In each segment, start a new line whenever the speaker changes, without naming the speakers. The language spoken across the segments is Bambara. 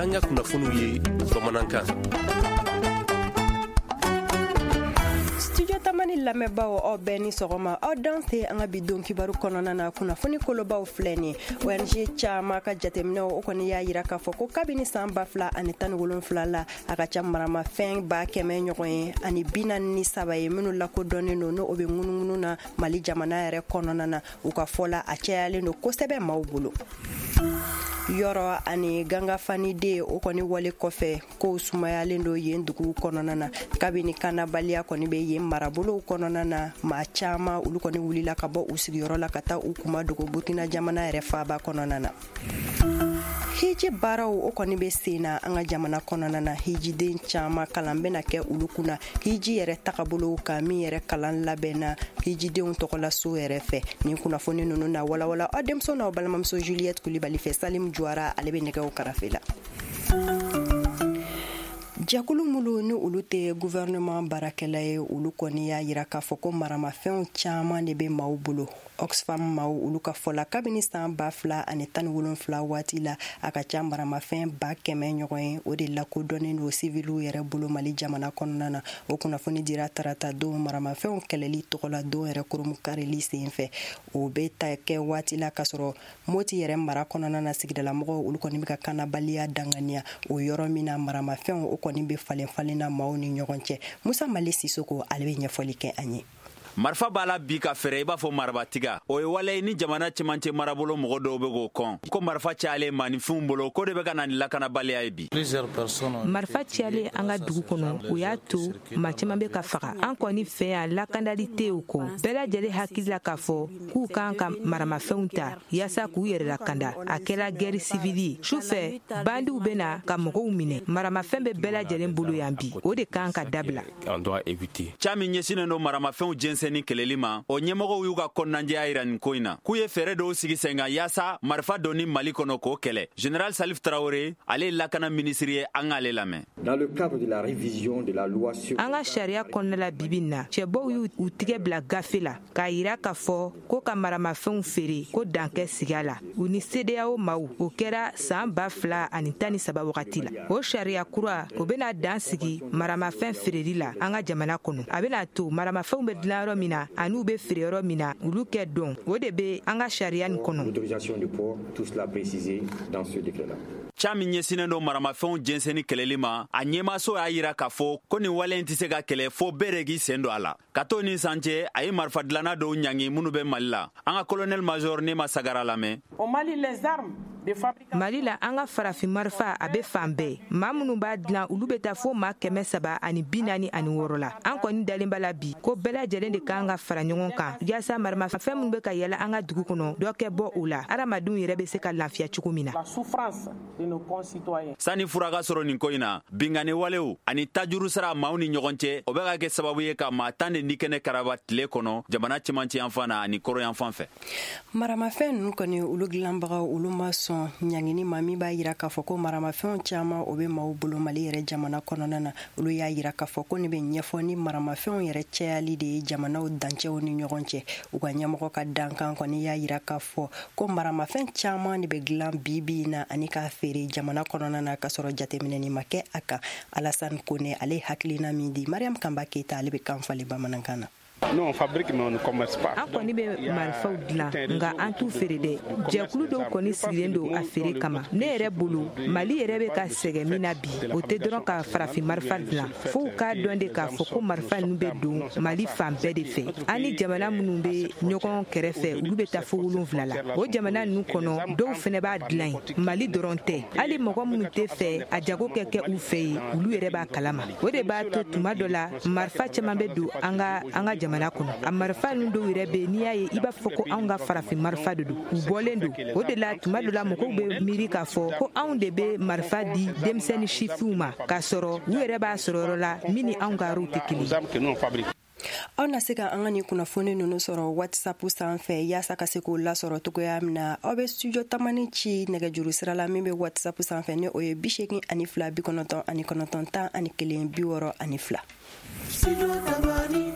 Y'an ka kunnafoniw ye bamanankan.
Studio Tamani lamɛnbaaw, aw bɛɛ ni sɔgɔma. Aw danse an ka bi don kibaru kɔnɔna na. Kunnafoni kolobaw filɛ nin. ONG caman ka jateminɛw, o kɔni y'a yira k'a fɔ ko kabini san 2017 la, a ka ca maramafɛn 100 000 ɲɔgɔn ye ani 43 ye minnu lakodɔnnen don, n'o bɛ ŋunuŋunu na Mali jamana yɛrɛ kɔnɔna na. U ka fɔ la, a cayalen don kosɛbɛ maaw bolo. Yɔrɔ ani Gangafaniden, o kɔni wale kɔfɛ, kow sumayalen don yen duguw kɔnɔna na. Kabini kanabaliya kɔni bɛ yen marabolow kɔnɔna na, maa caman, olu kɔni wulila ka bɔ u sigiyɔrɔ la ka taa u kuma dogo Burkina jamana yɛrɛ faaba kɔnɔna na. Hiji baaraw, o kɔni bɛ sen na an ka jamana kɔnɔna na. Hijiden caman, kalan bɛna kɛ olu kunna hiji yɛrɛ tagabolow kan, min yɛrɛ kalan labɛnna hijidenw tɔgɔlaso yɛrɛ fɛ. Nin kunnafoni ninnu na walawala aw denmuso n'aw balimamuso Juliette Kulibali fɛ. Salim Juwara, ale bɛ nɛgɛw karafe la. Jɛkulu minnu ni olu tɛ gouvernement baarakɛla ye, olu kɔni y'a yira k'a fɔ ko maramafɛnw caman de bɛ maaw bolo. Oxfam maaw, olu ka fɔ la, kabini san 2017 waati la, a ka ca maramafɛn 100 000 ɲɔgɔn ye, o de lakodɔnnen don siviliw yɛrɛ bolo Mali jamana kɔnɔna na. O kunnafoni dira tarata don, maramafɛnw kɛlɛli tɔgɔla don yɛrɛ koromukarili sen fɛ. O bɛ ta kɛ waati la k'a sɔrɔ Moti yɛrɛ mara kɔnɔna na, sigidalamɔgɔw, olu kɔni bɛ ka kanabaliya danganiya o yɔrɔ min na, maramafɛnw, o kɔni bɛ falen falen na maaw ni ɲɔgɔn cɛ. Musa Mali Sisoko, ale bɛ ɲɛfɔli kɛ an ye.
Marifa b'a la bi ka fɛrɛ i b'a fɔ marabatiga. O ye wale ni jamana cɛmancɛ marabolo mɔgɔ dɔw bɛ k'o kɔn ko marifa cayalen maaninfinw bolo, ko de bɛ ka na ni lakanabaliya ye bi.
Marifa cayalen an ka dugu kɔnɔ, o y'a to maa caman bɛ ka faga. An kɔni fɛ yan, lakandali tɛ o kɔ. Bɛɛ lajɛlen hakili la k'a fɔ k'u kan ka maramafɛnw ta yaasa k'u yɛrɛ lakanda. A kɛra guerre civile ye. Su fɛ, bandiw bɛ na ka mɔgɔw minɛ. Maramafɛn bɛ bɛɛ lajɛlen bolo yan bi, o de kan ka dabila.
Ca min ɲɛsinnen don maramafɛnw jɛnsɛnni kɛlɛli ma, o ɲɛmɔgɔw y'u ka kɔnɔnajɛya yira nin ko in na, k'u ye fɛɛrɛ dɔw sigi sen kan yaasa marifa donni Mali kɔnɔ, k'o kɛlɛ. Général Salif Tarawele, ale ye lakana minisiri ye, an k'ale lamɛn.
Dans le cadre de la révision de la loi sur
An ka sariya kɔnɔna la, bibi na, cɛbɔw y'u u tigɛ bila gafe la k'a yira k'a fɔ ko ka maramafɛnw feere, ko dankɛ sigi a la, u ni CEDEAO maw. O kɛra saan 2013 wagati la. O sariya kura, o bena dan sigi maramafɛn feereli la an ka jamana kɔnɔ. A bena to maramafɛnw bɛ dilan yɔrɔ min na ani u bɛ feere yɔrɔ min na, olu kɛ dɔn. O de bɛ an ka sariya nin kɔnɔ.
L'autorisation de port, tout cela précisé dans ce décret-là.
Ca min ɲɛsinnen don maramafɛnw jɛnsɛnni kɛlɛli ma, a ɲɛmaso y'a yira k'a fɔ ko nin wale in tɛ se ka kɛlɛ fo bɛɛ de k'i sen don a la. Ka to nin san cɛ, a ye marifa dilanna dɔw ɲangi minnu bɛ Mali la. An ka colonel major Nema Sagara lamɛn.
Au Mali, les armes de fabrication.
Mali la, an ka farafin marifa, a bɛ fan bɛɛ. Maa minnu b'a dilan, olu bɛ taa fo maa 346 la. An kɔni dalen b'a la bi ko bɛɛ lajɛlen de kan ka fara ɲɔgɔn kan yaasa maramafɛn minnu bɛ ka yala an ka dugu kɔnɔ, dɔ kɛ bɔ o la, hadamadenw yɛrɛ bɛ se ka lafiya cogo min na.
La souffrance de nos concitoyens.
Sani fura ka sɔrɔ nin ko in na, binkanni walew ani tajuru sara maaw ni ɲɔgɔn cɛ, o bɛ ka kɛ sababu ye ka maa 10 de ni kɛnɛ karaba tile kɔnɔ jamana cɛmancɛ yanfan na ani kɔrɔn yanfan fɛ.
Maramafɛn ninnu kɔni, olu dilanbagaw, olu ma sɔn ɲangini ma min b'a yira k'a fɔ ko maramafɛnw caman, o bɛ maaw bolo Mali yɛrɛ jamana kɔnɔna na. Olu y'a yira k'a fɔ ko nin bɛ ɲɛfɔ ni maramafɛnw yɛrɛ cayali de ye jamanaw dancɛw ni ɲɔgɔn cɛ. U ka ɲɛmɔgɔ ka dankan kɔni y'a yira k'a fɔ ko maramafɛn caman de bɛ dilan bi bi in na ani k'a feere jamana kɔnɔna na, k'a sɔrɔ jateminɛni ma kɛ a kan. Alassane Kone, ale hakilina min di, Mariam Kanba Keyita, ale bɛ kan falen bamanankan na.
Nous, on fabrique, mais on ne commerce pas.
An kɔni bɛ marifaw dilan, nka an t'u feere dɛ. Jɛkulu dɔw kɔni sigilen don a feere kama. Ne yɛrɛ bolo, Mali yɛrɛ bɛ ka sɛgɛn min na bi, o tɛ dɔrɔn ka farafin marifa dilan. Fo u k'a dɔn de k'a fɔ ko marifa ninnu bɛ don Mali fan bɛɛ de fɛ. An ni jamana minnu bɛ ɲɔgɔn kɛrɛfɛ, olu bɛ taa fo wolonfila la. O jamana ninnu kɔnɔ, dɔw fana b'a dilan yen. Mali dɔrɔn tɛ, hali mɔgɔ minnu tɛ fɛ a jago kɛ kɛ u fɛ yen, olu yɛrɛ b'a kalama. O de b'a to tuma dɔ la, marifa caman bɛ don an ka jamana kɔnɔ. A marifa ninnu dɔw yɛrɛ bɛ, n'i y'a ye, i b'a fɔ ko anw ka farafin marifa de don, u bɔlen don. O de la, tuma dɔ la, mɔgɔw bɛ miiri k'a fɔ ko anw de bɛ marifa di denmisɛnnin sifinw ma, k'a sɔrɔ u yɛrɛ b'a sɔrɔ yɔrɔ la min ni anw ka yɔrɔw tɛ kelen ye.
Aw na se ka an ka nin kunnafoni ninnu sɔrɔ WhatsApp sanfɛ. Yaasa ka se k'o lasɔrɔ cogoya min na, aw bɛ Studio Tamani ci nɛgɛjuru sira la min bɛ WhatsApp sanfɛ, ni o ye 82 99 11 62.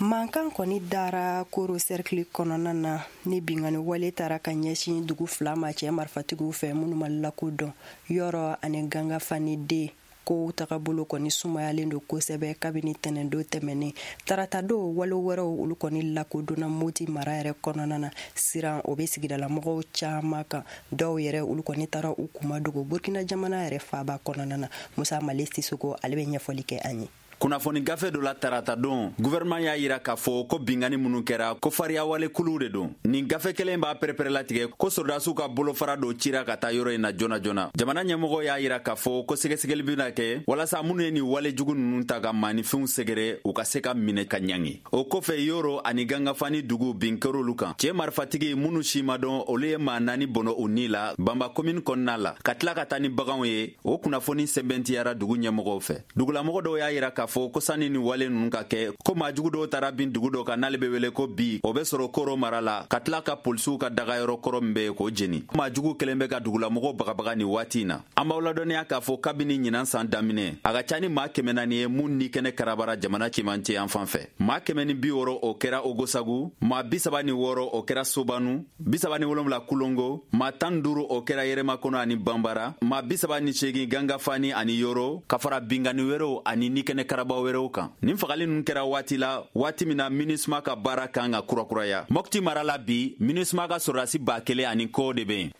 Mankan kɔni dara Koro cercle kɔnɔna na ni binkanni wale taara ka ɲɛsin dugu fila ma cɛ marifatigiw fɛ minnu ma lakodɔn, Yɔrɔ ani Gangafani den. Kow tagabolo kɔni sumayalen don kosɛbɛ kabini tɛnɛndon tɛmɛnen. Taratadon, wale wɛrɛw olu kɔni lakodɔnna Moti mara yɛrɛ kɔnɔna na. Siran o bɛ sigidalamɔgɔw caman kan, dɔw yɛrɛ olu kɔni taara u kuma dogo Burkina jamana yɛrɛ faaba kɔnɔna na. Musa Male Sisoko, ale bɛ ɲɛfɔli kɛ an ye.
Kunnafoni gafe dɔ la taratadon, gouvernement y'a yira k'a fɔ ko binkanni minnu kɛra, ko fariyawale kuluw de don. Nin gafe kelen b'a pɛrɛpɛrɛlatigɛ ko sɔrɔdasiw ka bolofara dɔ cira ka taa yɔrɔ in na joona joona. Jamana ɲɛmɔgɔ y'a yira k'a fɔ ko sɛgɛsɛgɛli bɛna kɛ walasa minnu ye nin wale jugu ninnu ta ka maaninfinw sɛgɛrɛ, u ka se ka minɛ ka ɲangi. O kɔfɛ, Yoro ani Gangafani dugu, bin kɛr'olu kan. Cɛɛ marifatigi minnu si ma dɔn, olu ye maa naani bɔnɔ u ni la Banba komini kɔnɔna la, ka tila ka taa ni baganw ye. O kunnafoni sɛbɛntiyara dugu ɲɛmɔgɔw fɛ. Dugulamɔgɔ dɔw y'a yira k'a fɔ ko sanni ni wale ninnu ka kɛ, ko maajugu dɔw taara bin dugu dɔ kan n'ale bɛ wele ko Bi, o bɛ sɔrɔ Koro mara la, ka tila ka polisiw ka dagayɔrɔ kɔrɔ min bɛ yen, k'o jeni. Maajugu kɛlen bɛ ka dugulamɔgɔw bagabaga nin waati in na. An b'aw ladɔnniya k'a fɔ kabini ɲinan san daminɛ, a ka ca ni maa 400 ye mun ni kɛnɛ karabara jamana cɛmancɛ yan fan fɛ. Maa 160, o kɛra Ogosagu, maa 36, o kɛra Sobanu, 37 Kulongo, maa 15, o kɛra Yɛrɛmakɔnɔ ani Banbara, maa 38 Gangafani ani Yoro, ka fara binkanni wɛrɛw ani nikɛnɛ karaba wɛrɛw kan. Nin fagali ninnu kɛra waati la, waati min na MINUSMA ka baara kan ka kurakuraya Mɔpti mara la. Bi, MINUSMA ka sɔrɔdasi 1000 ani kɔ de bɛ yen.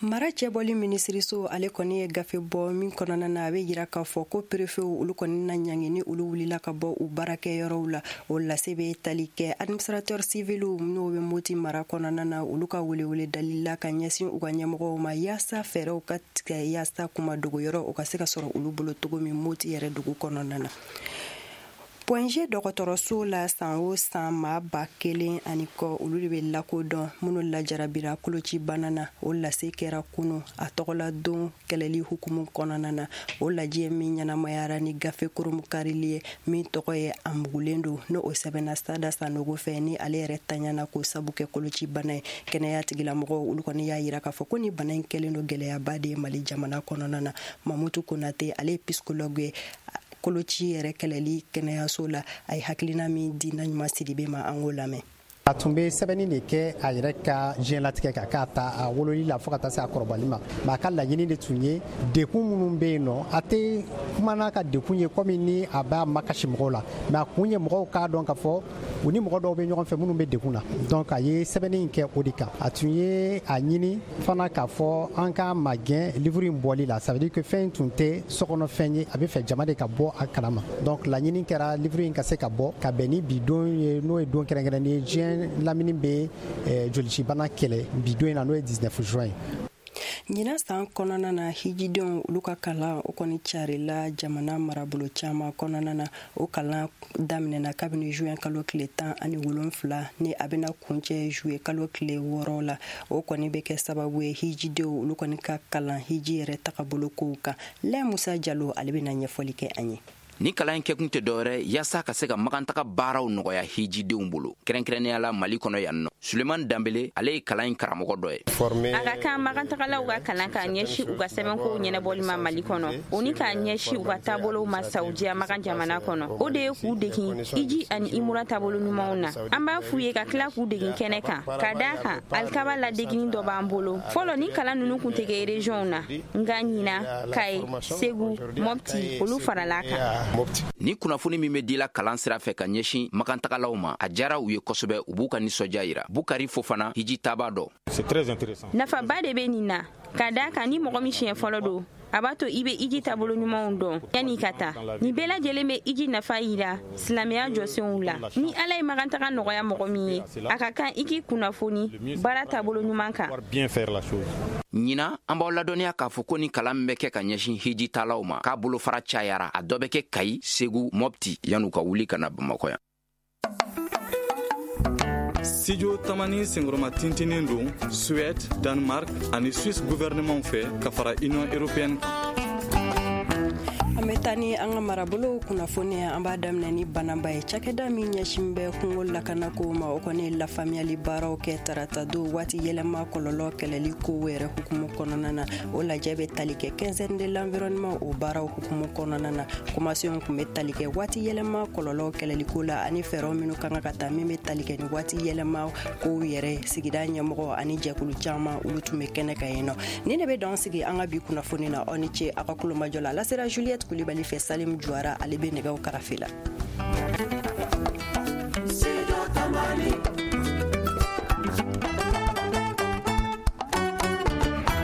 Mara cɛbɔli minisiriso, ale kɔni ye gafe bɔ min kɔnɔna na a bɛ yira k'a fɔ ko perefew olu kɔni na ɲangi ni olu wulila ka bɔ u baarakɛyɔrɔw la. O lase bɛ tali kɛ administrateur civiliw n'o bɛ Moti mara kɔnɔna na, olu ka welewele dali la ka ɲɛsin u ka ɲɛmɔgɔw ma, yaasa fɛɛrɛw ka tigɛ yaasa kuma dogoyɔrɔ o ka se ka sɔrɔ olu bolo cogo min Moti yɛrɛ dugu kɔnɔna na. Point G dɔgɔtɔrɔso la, san o san, maa 1000 ani kɔ olu de bɛ lakodɔn minnu lajarabira kolocibana na. O lase kɛra kunu a tɔgɔla don kɛlɛli hukumu kɔnɔna na. O lajɛ min ɲɛnamayara ni gafe koromukarili ye min tɔgɔ ye "A mugulen don", n'o o sɛbɛnna Sada Sanogo fɛ, ni ale yɛrɛ taɲana k'o sabu kɛ kolocibana ye. Kɛnɛya tigilamɔgɔw olu kɔni y'a yira k'a fɔ ko ni bana in kɛlen don gɛlɛyaba de ye Mali jamana kɔnɔna na. Mamutu Konate, ale ye psychologue ye koloci yɛrɛ kɛlɛli kɛnɛyaso la, a ye hakilina min di na ɲuman Sidibe ma, an k'o lamɛn.
A tun bɛ sɛbɛnni de kɛ a yɛrɛ ka diɲɛlatigɛ kan, k'a ta a wololi la fo ka taa se a kɔrɔbali ma. Mais a ka laɲini de tun ye dekun minnu bɛ yen nɔ, a tɛ kuma n'a ka dekun ye komi ni a b'a makasi mɔgɔw la, mais a kun ye mɔgɔw k'a dɔn k'a fɔ u ni mɔgɔ dɔw bɛ ɲɔgɔn fɛ minnu bɛ dekun na. Donc a ye sɛbɛnni in kɛ o de kan. A tun ye a ɲini fana k'a fɔ an k'a magɛn livre in bɔli la. Ça veut dire que fɛn in tun tɛ sokɔnɔfɛn ye, a bɛ fɛ jama de ka bɔ a kalama. Donc laɲini kɛra livre in ka se ka bɔ ka bɛn ni bi don ye, n'o ye don kɛrɛnkɛrɛnnen ye diɲɛ lamini bɛ jolicibana kɛlɛ bi don in na, n'o ye 19 juin ye.
Ɲinan san kɔnɔna na, hijidenw olu ka kalan o kɔni carila jamana marabolo caman kɔnɔna na. O kalan daminɛna kabini juin kalo tile 17, ni a bɛna kuncɛ juillet kalo tile 6 la. O kɔni bɛ kɛ sababu ye hijidenw olu kɔni ka kalan hiji yɛrɛ tagabolo kow kan. Lɛ Musa Jalo, ale bɛna ɲɛfɔli kɛ an ye.
Ni kalan in kɛkun tɛ dɔwɛrɛ yaasa ka se ka magantaga baaraw nɔgɔya hijidenw bolo, kɛrɛnkɛrɛnnenya la Mali kɔnɔ yan nɔ. Suleman Danbele, ale ye kalan in karamɔgɔ dɔ ye.
A ka kan magantagalaw ka kalan k'a ɲɛsin u ka sɛbɛnkow ɲɛnabɔli ma Mali kɔnɔ, o ni k'a ɲɛsin u ka taabolow ma Saudiya Magan jamana kɔnɔ. O de ye k'u degin iji ani imura taabolo ɲumanw na. An b'a f'u ye ka tila k'u degin kɛnɛ kan, ka daa kan alikaba ladegini dɔ b'an bolo. Fɔlɔ, ni kalan ninnu kun tɛ kɛ régionw na, nka ɲina, Kaye, Segu, Mɔpti, olu farala kan.
Ni kunnafoni min bɛ dila kalan sira fɛ ka ɲɛsin magantagalaw ma, a diyara u ye kosɛbɛ. U b'u ka nisɔndiya yira. Bukari Fofana, hiji taaba dɔ.
Nafaba de bɛ nin na, ka daa kan ni mɔgɔ min siɲɛ fɔlɔ don, a b'a to i bɛ iji taabolo ɲumanw dɔn yanni ka taa. Nin bɛɛ lajɛlen bɛ iji nafa yira silamɛya jɔsenw la. Ni Ala ye magantaga nɔgɔya mɔgɔ min ye, a ka kan i k'i kunnafoni baara taabolo ɲuman kan.
Ɲina, an b'aw ladɔnniya k'a fɔ ko ni kalan min bɛ kɛ ka ɲɛsin hijitalaw ma, k'a bolofara cayara. A dɔ bɛ kɛ Kayi, Segu, Mɔpti, yan'u ka wuli ka na Bamakɔ yan.
Studio Tamani senkɔrɔma tintinin don Suède, Danemark ani Suisse gouvernement fɛ ka fara Union européenne kan.
An bɛ taa ni an ka marabolow kunnafoni ye. An b'a daminɛ ni Bananba ye. Cakɛda min ɲɛsin bɛ kungo lakanako ma, o kɔni lafaamuyali baaraw kɛ tarata don waati yɛlɛma kɔlɔlɔ kɛlɛli ko yɛrɛ hukumu kɔnɔna na. O lajɛ bɛ tali kɛ Quinzaine de l'environnement, o baaraw hukumu kɔnɔna na. Kumasenw tun bɛ tali kɛ waati yɛlɛma kɔlɔlɔ kɛlɛliko la ani fɛɛrɛw minnu kan ka ta min bɛ tali kɛ ni waati yɛlɛma kow yɛrɛ. Sigida ɲɛmɔgɔ ani jɛkulu caman, olu tun bɛ kɛnɛ kan yen nɔ. Ni ne bɛ dan sigi an ka bi kunnafoni na. Aw ni ce aw ka kulomajɔ la. A lasera Juliette Kulibali fɛ. Salim Juwara, ale bɛ nɛgɛw karafe la.